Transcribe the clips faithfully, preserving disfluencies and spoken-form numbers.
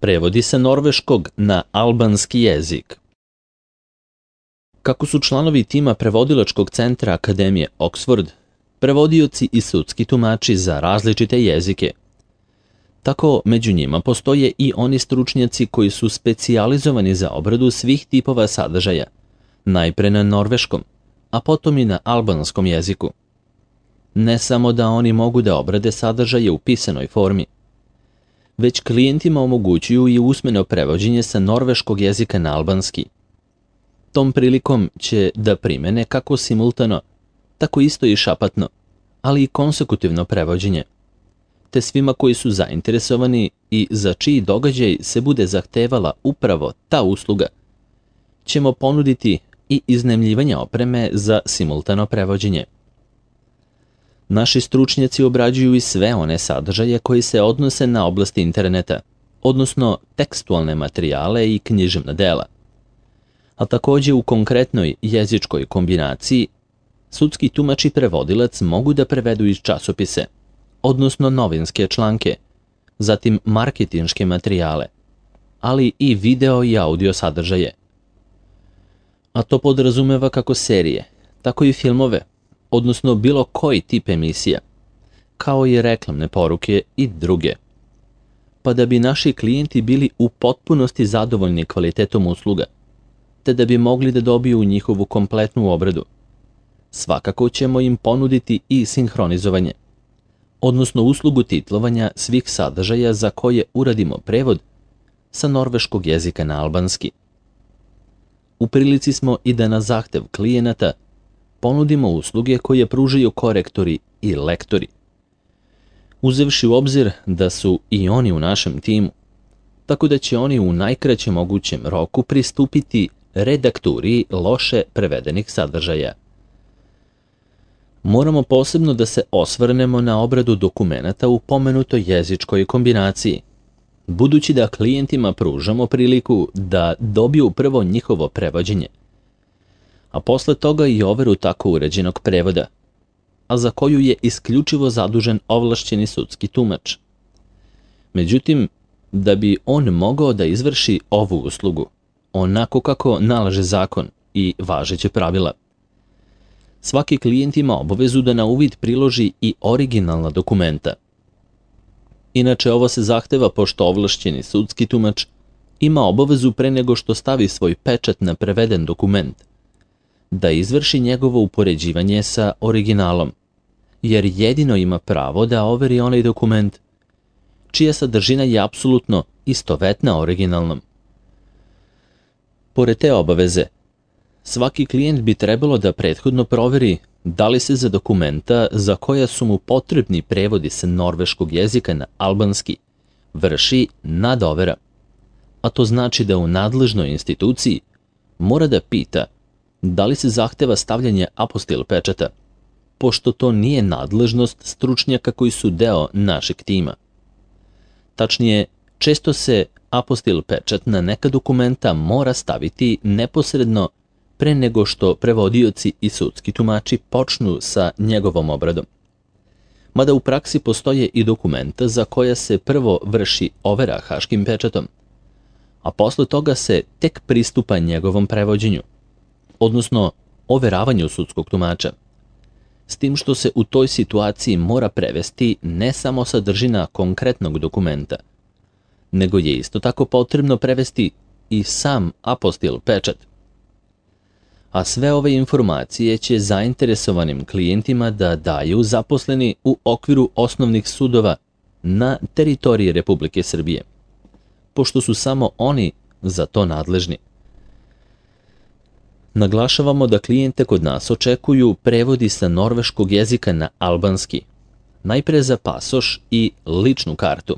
Prevodi sa norveškog na albanski jezik. Kako su članovi tima prevodilačkog centra Akademije Oxford prevodioci i sudski tumači za različite jezike, tako među njima postoje i oni stručnjaci koji su specijalizovani za obradu svih tipova sadržaja, najpre na norveškom, a potom i na albanskom jeziku. Ne samo da oni mogu da obrade sadržaje u pisanoj formi, već klijentima omogućuju i usmeno prevođenje sa norveškog jezika na albanski. Tom prilikom će da primene kako simultano, tako isto i šapatno, ali i konsekutivno prevođenje, te svima koji su zainteresovani i za čiji događaj se bude zahtevala upravo ta usluga, ćemo ponuditi i iznajmljivanje opreme za simultano prevođenje. Naši stručnjaci obrađuju i sve one sadržaje koji se odnose na oblasti interneta, odnosno tekstualne materijale i književna dela. A takođe u konkretnoj jezičkoj kombinaciji sudski tumač i prevodilac mogu da prevedu iz časopise, odnosno novinske članke, zatim marketinške materijale, ali i video i audio sadržaje. A to podrazumeva kako serije, tako i filmove, odnosno bilo koji tip emisija, kao i reklamne poruke i druge. Pa da bi naši klijenti bili u potpunosti zadovoljni kvalitetom usluga, te da bi mogli da dobiju njihovu kompletnu obradu, svakako ćemo im ponuditi i sinhronizovanje, odnosno uslugu titlovanja svih sadržaja za koje uradimo prevod sa norveškog jezika na albanski. U prilici smo i da na zahtev klijenata ponudimo usluge koje pružaju korektori i lektori, uzevši u obzir da su i oni u našem timu, tako da će oni u najkraćem mogućem roku pristupiti redakturi loše prevedenih sadržaja. Moramo posebno da se osvrnemo na obradu dokumenata u pomenutoj jezičkoj kombinaciji, budući da klijentima pružamo priliku da dobiju prvo njihovo prevođenje, a posle toga i overu tako uređenog prevoda, a za koju je isključivo zadužen ovlašćeni sudski tumač. Međutim, da bi on mogao da izvrši ovu uslugu, onako kako nalaže zakon i važeće pravila, svaki klijent ima obavezu da na uvid priloži i originalna dokumenta. Inače, ovo se zahteva pošto ovlašćeni sudski tumač ima obavezu pre nego što stavi svoj pečat na preveden dokument, da izvrši njegovo upoređivanje sa originalom, jer jedino ima pravo da overi onaj dokument čija sadržina je apsolutno istovetna originalnom. Pored te obaveze, svaki klijent bi trebalo da prethodno proveri da li se za dokumenta za koja su mu potrebni prevodi sa norveškog jezika na albanski vrši nadovera, a to znači da u nadležnoj instituciji mora da pita da li se zahteva stavljanje apostil pečata, pošto to nije nadležnost stručnjaka koji su deo našeg tima. Tačnije, često se apostil pečat na neka dokumenta mora staviti neposredno pre nego što prevodioci i sudski tumači počnu sa njegovom obradom. Mada u praksi postoje i dokumenta za koja se prvo vrši overa haškim pečatom, a posle toga se tek pristupa njegovom prevođenju, odnosno overavanju sudskog tumača, s tim što se u toj situaciji mora prevesti ne samo sadržina konkretnog dokumenta, nego je isto tako potrebno prevesti i sam apostil pečat. A sve ove informacije će zainteresovanim klijentima da daju zaposleni u okviru osnovnih sudova na teritoriji Republike Srbije, pošto su samo oni za to nadležni. Naglašavamo da klijente kod nas očekuju prevodi sa norveškog jezika na albanski, najpre za pasoš i ličnu kartu,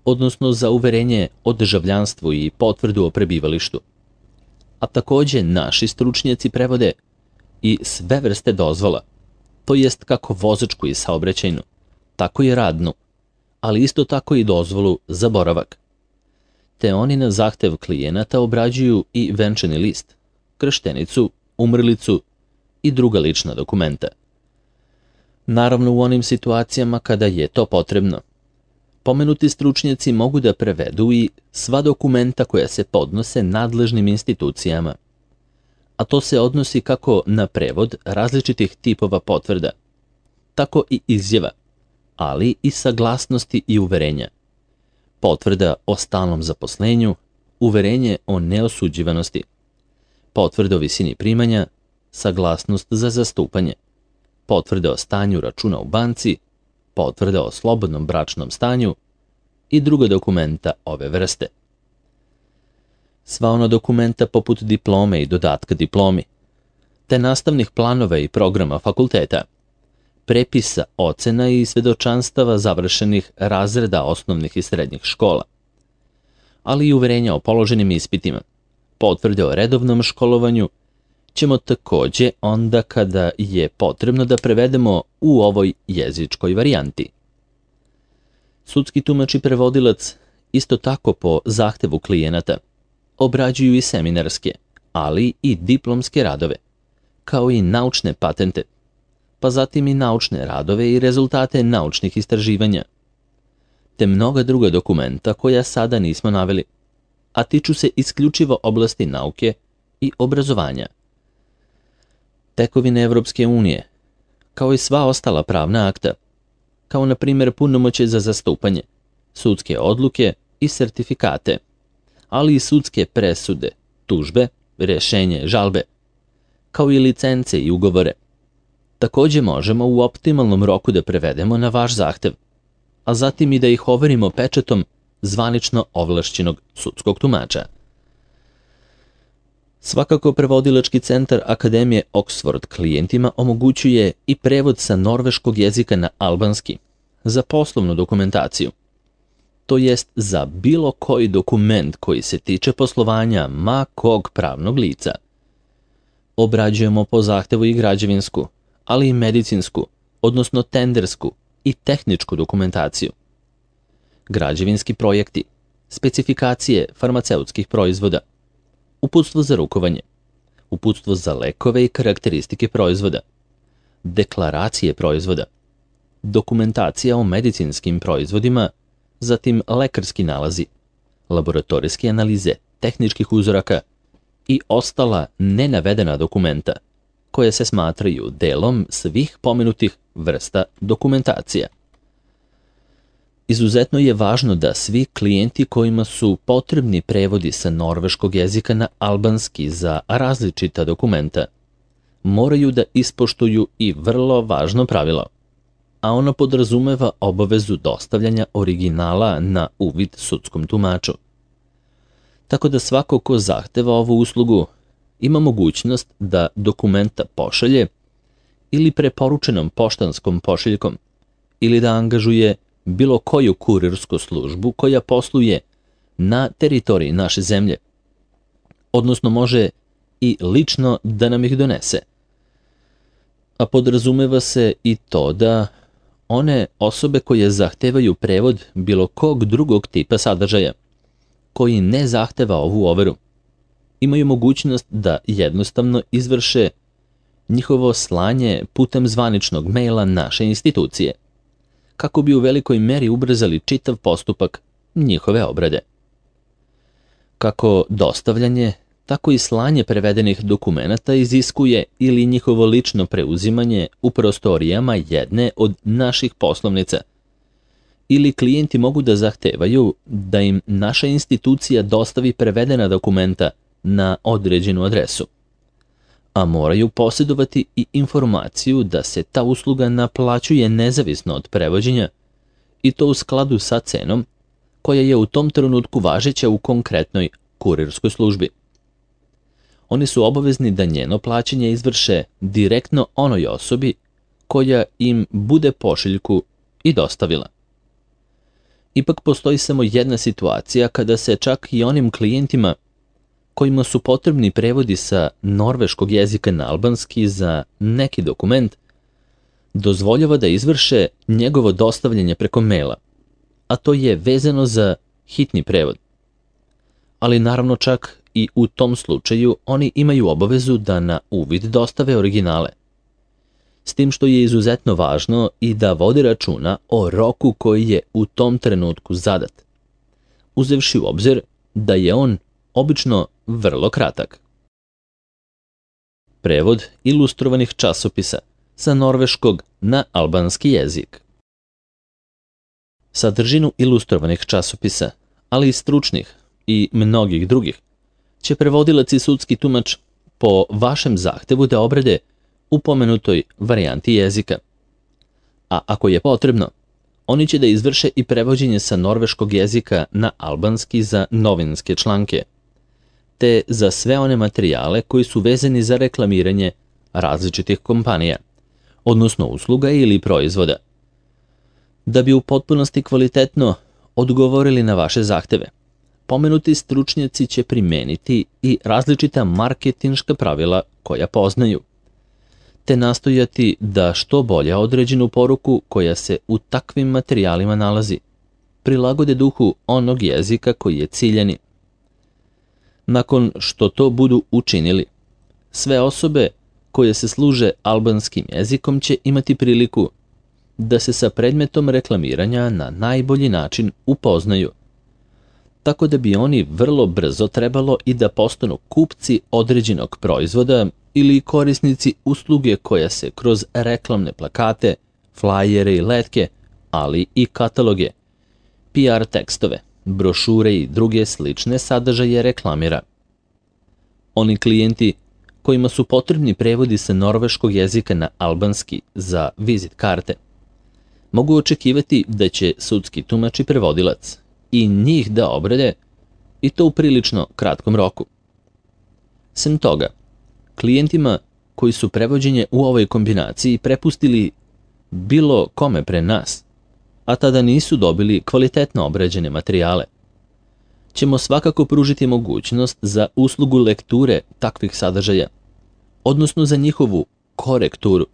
odnosno za uverenje o državljanstvu i potvrdu o prebivalištu. A takođe naši stručnjaci prevode i sve vrste dozvola, to jest kako vozačku i saobraćajnu, tako i radnu, ali isto tako i dozvolu za boravak. Te oni na zahtev klijenata obrađuju i venčani list, krštenicu, umrlicu i druga lična dokumenta. Naravno u onim situacijama kada je to potrebno, Pomenuti stručnjaci mogu da prevedu i sva dokumenta koja se podnose nadležnim institucijama, a to se odnosi kako na prevod različitih tipova potvrda, tako i izjava, ali i saglasnosti i uverenja. Potvrda o stalnom zaposlenju, uverenje o neosuđivanosti, potvrda o visini primanja, saglasnost za zastupanje, potvrda o stanju računa u banci, potvrda o slobodnom bračnom stanju i druga dokumenta ove vrste. Sva ona dokumenta poput diplome i dodatka diplomi, te nastavnih planova i programa fakulteta, prepisa, ocena i svedočanstava završenih razreda osnovnih i srednjih škola, ali i uverenja o položenim ispitima, potvrde o redovnom školovanju, ćemo takođe onda kada je potrebno da prevedemo u ovoj jezičkoj varijanti. Sudski tumač i prevodilac isto tako po zahtevu klijenata obrađuju i seminarske, ali i diplomske radove, kao i naučne patente, pa zatim i naučne radove i rezultate naučnih istraživanja, te mnoga druga dokumenta koja sada nismo naveli, a tiču se isključivo oblasti nauke i obrazovanja. Tekovine Evropske unije, kao i sva ostala pravna akta, kao na primjer punomoćje za zastupanje, sudske odluke i sertifikate, ali i sudske presude, tužbe, rješenje, žalbe, kao i licence i ugovore. Takođe možemo u optimalnom roku da prevedemo na vaš zahtev, a zatim i da ih overimo pečatom zvanično ovlašćenog sudskog tumača. Svakako prevodilački centar Akademije Oxford klijentima omogućuje i prevod sa norveškog jezika na albanski za poslovnu dokumentaciju, to jest za bilo koji dokument koji se tiče poslovanja ma kog pravnog lica. Obrađujemo po zahtevu i građevinsku, ali i medicinsku, odnosno tendersku i tehničku dokumentaciju. Građevinski projekti, specifikacije farmaceutskih proizvoda, uputstvo za rukovanje, uputstvo za lekove i karakteristike proizvoda, deklaracije proizvoda, dokumentacija o medicinskim proizvodima, zatim lekarski nalazi, laboratorijske analize tehničkih uzoraka i ostala nenavedena dokumenta, koje se smatraju delom svih pomenutih vrsta dokumentacija. Izuzetno je važno da svi klijenti kojima su potrebni prevodi sa norveškog jezika na albanski za različita dokumenta moraju da ispoštuju i vrlo važno pravilo, a ono podrazumeva obavezu dostavljanja originala na uvid sudskom tumaču. Tako da svako ko zahteva ovu uslugu ima mogućnost da dokumenta pošalje ili preporučenom poštanskom pošiljkom ili da angažuje bilo koju kurirsku službu koja posluje na teritoriji naše zemlje, odnosno može i lično da nam ih donese. A podrazumeva se i to da one osobe koje zahtevaju prevod bilo kog drugog tipa sadržaja, koji ne zahteva ovu overu, imaju mogućnost da jednostavno izvrše njihovo slanje putem zvaničnog maila naše institucije, kako bi u velikoj meri ubrzali čitav postupak njihove obrade. Kako dostavljanje, tako i slanje prevedenih dokumenata iziskuje ili njihovo lično preuzimanje u prostorijama jedne od naših poslovnica, ili klijenti mogu da zahtevaju da im naša institucija dostavi prevedena dokumenta na određenu adresu, a moraju posjedovati i informaciju da se ta usluga naplaćuje nezavisno od prevođenja i to u skladu sa cenom koja je u tom trenutku važeća u konkretnoj kurirskoj službi. Oni su obavezni da njeno plaćanje izvrše direktno onoj osobi koja im bude pošiljku i dostavila. Ipak postoji samo jedna situacija kada se čak i onim klijentima kojima su potrebni prevodi sa norveškog jezika na albanski za neki dokument, dozvoljava da izvrše njegovo dostavljanje preko maila, a to je vezano za hitni prevod. Ali naravno čak i u tom slučaju oni imaju obavezu da na uvid dostave originale. s tim što je izuzetno važno i da vodi računa o roku koji je u tom trenutku zadat, uzevši u obzir da je on obično vrlo kratak. Prevod ilustrovanih časopisa sa norveškog na albanski jezik. Sadržinu ilustrovanih časopisa, ali i stručnih i mnogih drugih, će prevodilac i sudski tumač po vašem zahtevu da obrade u pomenutoj varijanti jezika. A ako je potrebno, oni će da izvrše i prevođenje sa norveškog jezika na albanski za novinske članke, te za sve one materijale koji su vezani za reklamiranje različitih kompanija, odnosno usluga ili proizvoda. Da bi u potpunosti kvalitetno odgovorili na vaše zahteve, pomenuti stručnjaci će primeniti i različita marketinška pravila koja poznaju, te nastojati da što bolje određenu poruku koja se u takvim materijalima nalazi, prilagode duhu onog jezika koji je ciljani. Nakon što to budu učinili, sve osobe koje se služe albanskim jezikom će imati priliku da se sa predmetom reklamiranja na najbolji način upoznaju, tako da bi oni vrlo brzo trebalo i da postanu kupci određenog proizvoda ili korisnici usluge koja se kroz reklamne plakate, flajere i letke, ali i kataloge, P R tekstove, brošure i druge slične sadržaje reklamira. Oni klijenti kojima su potrebni prevodi sa norveškog jezika na albanski za vizit karte, mogu očekivati da će sudski tumač i prevodilac i njih da obrade, i to u prilično kratkom roku. Sem toga, klijentima koji su prevođenje u ovoj kombinaciji prepustili bilo kome pre nas, a tada nisu dobili kvalitetno obrađene materijale, ćemo svakako pružiti mogućnost za uslugu lekture takvih sadržaja, odnosno za njihovu korekturu,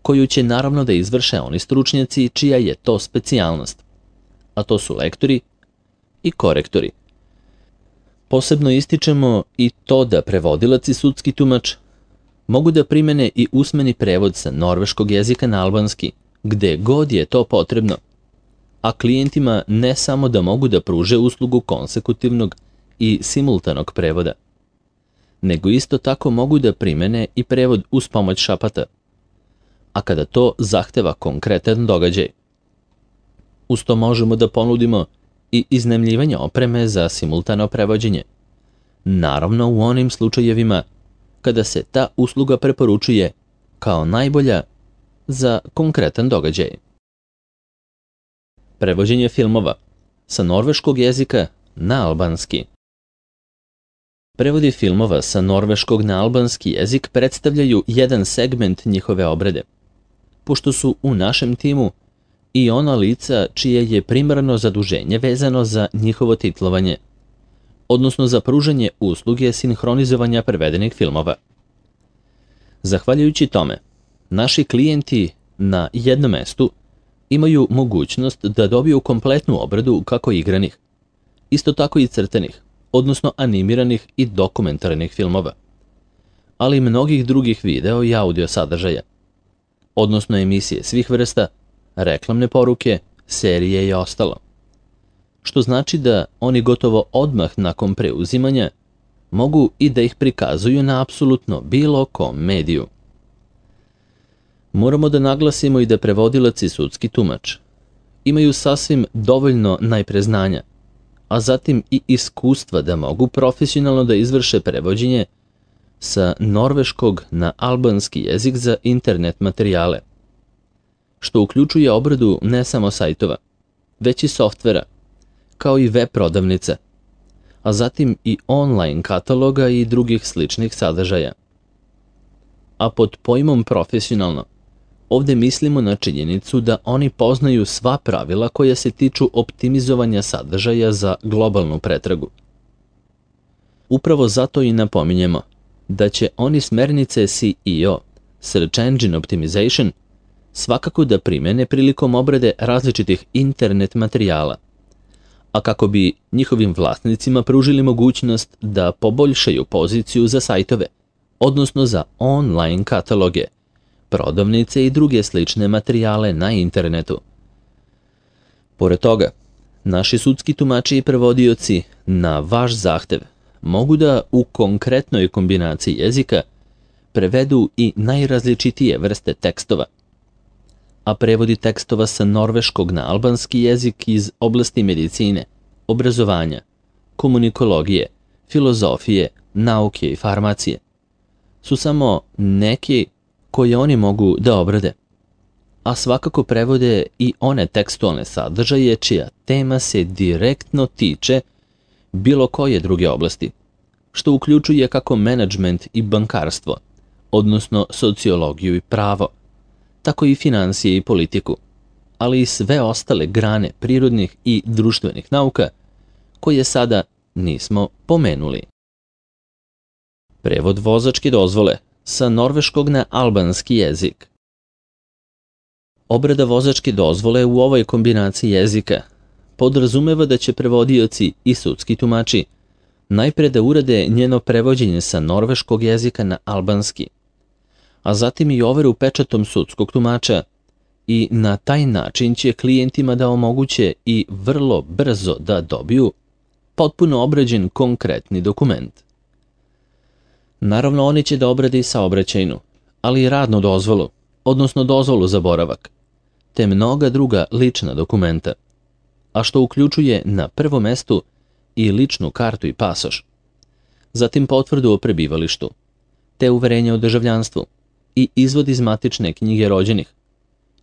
koju će naravno da izvrše oni stručnjaci čija je to specijalnost, a to su lektori i korektori. Posebno ističemo i to da prevodilac i sudski tumač mogu da primene i usmeni prevod sa norveškog jezika na albanski, gde god je to potrebno, a klijentima ne samo da mogu da pruže uslugu konsekutivnog i simultanog prevoda, nego isto tako mogu da primene i prevod uz pomoć šapata, a kada to zahteva konkretan događaj. Uz to možemo da ponudimo i iznajmljivanje opreme za simultano prevođenje, naravno u onim slučajevima kada se ta usluga preporučuje kao najbolja za konkretan događaj. Prevođenje filmova sa norveškog jezika na albanski. Prevodi filmova sa norveškog na albanski jezik predstavljaju jedan segment njihove obrade, pošto su u našem timu i ona lica čije je primarno zaduženje vezano za njihovo titlovanje, odnosno za pružanje usluge sinhronizovanja prevedenih filmova. Zahvaljujući tome, naši klijenti na jednom mestu imaju mogućnost da dobiju kompletnu obradu kako igranih, isto tako i crtenih, odnosno animiranih i dokumentarnih filmova, ali i mnogih drugih video i audio sadržaja, odnosno emisije svih vrsta, reklamne poruke, serije i ostalo. Što znači da oni gotovo odmah nakon preuzimanja mogu i da ih prikazuju na apsolutno bilo kom mediju. Moramo da naglasimo i da prevodilac i sudski tumač imaju sasvim dovoljno najpre znanja, a zatim i iskustva da mogu profesionalno da izvrše prevođenje sa norveškog na albanski jezik za internet materijale, što uključuje obradu ne samo sajtova, već i softvera, kao i web prodavnica, a zatim i online kataloga i drugih sličnih sadržaja. A pod pojmom profesionalno, ovde mislimo na činjenicu da oni poznaju sva pravila koja se tiču optimizovanja sadržaja za globalnu pretragu. Upravo zato i napominjemo da će oni smernice S E O, Search Engine Optimization, svakako da primene prilikom obrade različitih internet materijala, a kako bi njihovim vlasnicima pružili mogućnost da poboljšaju poziciju za sajtove, odnosno za online kataloge, prodavnice i druge slične materijale na internetu. Pored toga, naši sudski tumači i prevodioci na vaš zahtev mogu da u konkretnoj kombinaciji jezika prevedu i najrazličitije vrste tekstova, a prevodi tekstova sa norveškog na albanski jezik iz oblasti medicine, obrazovanja, komunikologije, filozofije, nauke i farmacije su samo neki koje oni mogu da obrade, a svakako prevode i one tekstualne sadržaje čija tema se direktno tiče bilo koje druge oblasti, što uključuje kako menadžment i bankarstvo, odnosno sociologiju i pravo, tako i finansije i politiku, ali i sve ostale grane prirodnih i društvenih nauka koje sada nismo pomenuli. Prevod vozačke dozvole sa norveškog na albanski jezik. Obrada vozačke dozvole u ovoj kombinaciji jezika podrazumeva da će prevodioci i sudski tumači najpre da urade njeno prevođenje sa norveškog jezika na albanski, a zatim i overu pečatom sudskog tumača, i na taj način će klijentima da omoguće i vrlo brzo da dobiju potpuno obrađen konkretni dokument. Naravno, oni će da obrade i saobraćajnu, ali i radnu dozvolu, odnosno dozvolu za boravak, te mnoga druga lična dokumenta, a što uključuje na prvom mestu i ličnu kartu i pasoš, zatim potvrdu o prebivalištu, te uverenje o državljanstvu i izvod iz matične knjige rođenih,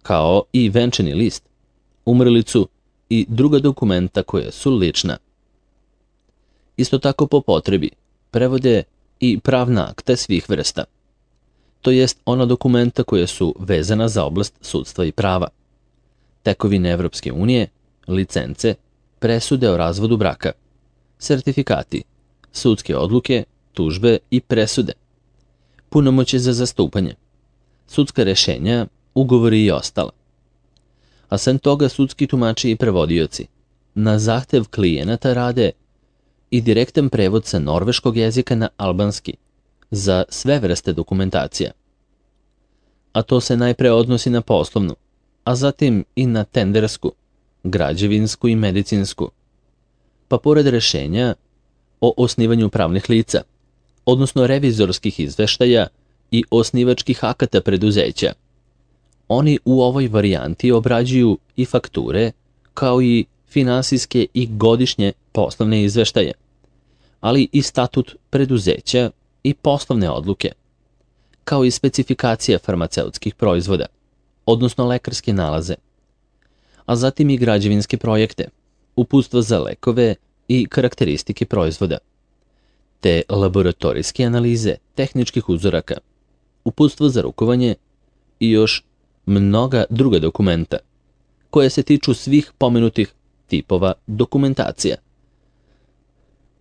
kao i venčani list, umrlicu i druga dokumenta koja su lična. Isto tako po potrebi prevode i pravna akta svih vrsta, to jest ona dokumenta koja su vezana za oblast sudstva i prava, tekovine Evropske unije, licence, presude o razvodu braka, sertifikati, sudske odluke, tužbe i presude, punomoćje za zastupanje, sudska rešenja, ugovori i ostalo. A sem toga sudski tumači i prevodioci na zahtev klijenata rade i direktan prevod sa norveškog jezika na albanski za sve vrste dokumentacija. A to se najpre odnosi na poslovnu, a zatim i na tendersku, građevinsku i medicinsku, pa pored rešenja o osnivanju pravnih lica, odnosno revizorskih izveštaja i osnivačkih akata preduzeća, oni u ovoj varijanti obrađuju i fakture, kao i finansijske i godišnje poslovne izveštaje, ali i statut preduzeća i poslovne odluke, kao i specifikacija farmaceutskih proizvoda, odnosno lekarske nalaze, a zatim i građevinske projekte, uputstva za lekove i karakteristike proizvoda, te laboratorijske analize tehničkih uzoraka, uputstva za rukovanje i još mnoga druga dokumenta, koje se tiču svih pomenutih tipova dokumentacija.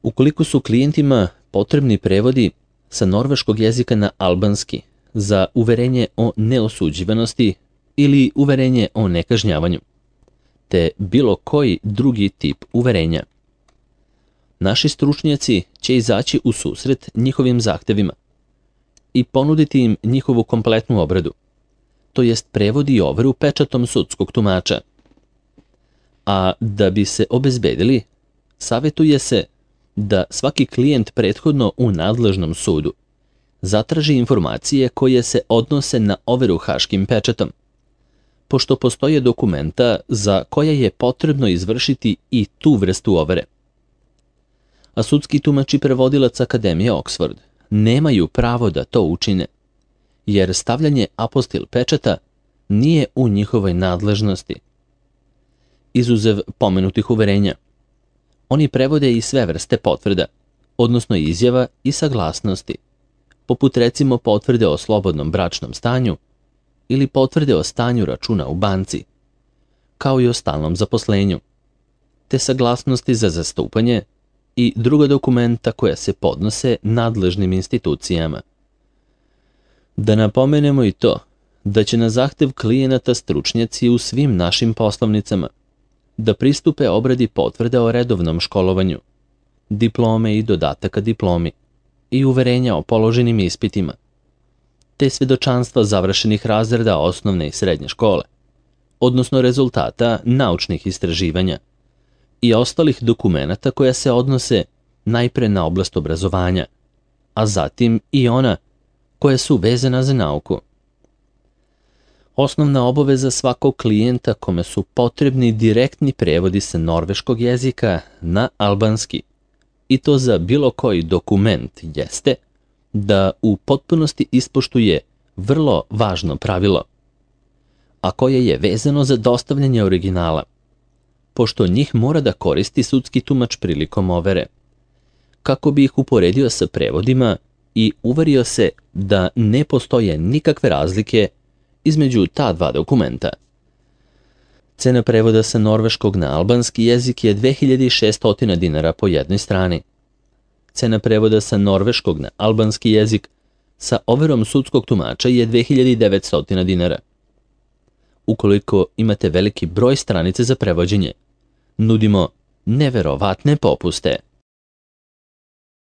Ukoliko su klijentima potrebni prevodi sa norveškog jezika na albanski za uverenje o neosuđivanosti ili uverenje o nekažnjavanju, te bilo koji drugi tip uverenja, naši stručnjaci će izaći u susret njihovim zahtevima i ponuditi im njihovu kompletnu obradu, to jest prevod i overu pečatom sudskog tumača. A da bi se obezbedili, savjetuje se da svaki klijent prethodno u nadležnom sudu zatraži informacije koje se odnose na overu haškim pečatom, pošto postoje dokumenta za koja je potrebno izvršiti i tu vrstu overe. A sudski tumač i prevodilac Akademije Oxford nemaju pravo da to učine, jer stavljanje apostil pečata nije u njihovoj nadležnosti. Izuzev pomenutih uverenja, oni prevode i sve vrste potvrda, odnosno izjava i saglasnosti, poput recimo potvrde o slobodnom bračnom stanju ili potvrde o stanju računa u banci, kao i o stalnom zaposlenju, te saglasnosti za zastupanje i druga dokumenta koja se podnose nadležnim institucijama. Da napomenemo i to da će na zahtev klijenata stručnjaci u svim našim poslovnicama da pristupe obradi potvrde o redovnom školovanju, diplome i dodataka diplomi i uverenja o položenim ispitima, te svjedočanstva završenih razreda osnovne i srednje škole, odnosno rezultata naučnih istraživanja i ostalih dokumenata koja se odnose najpre na oblast obrazovanja, a zatim i ona koja su vezana za nauku. Osnovna obaveza svakog klijenta kome su potrebni direktni prevodi sa norveškog jezika na albanski, i to za bilo koji dokument, jeste da u potpunosti ispoštuje vrlo važno pravilo, a koje je vezano za dostavljanje originala, pošto njih mora da koristi sudski tumač prilikom overe, kako bi ih uporedio sa prevodima i uverio se da ne postoje nikakve razlike između ta dva dokumenta. Cena prevoda sa norveškog na albanski jezik je dve hiljade šesto dinara po jednoj strani. Cena prevoda sa norveškog na albanski jezik sa overom sudskog tumača je dve hiljade devetsto dinara. Ukoliko imate veliki broj stranice za prevođenje, nudimo neverovatne popuste.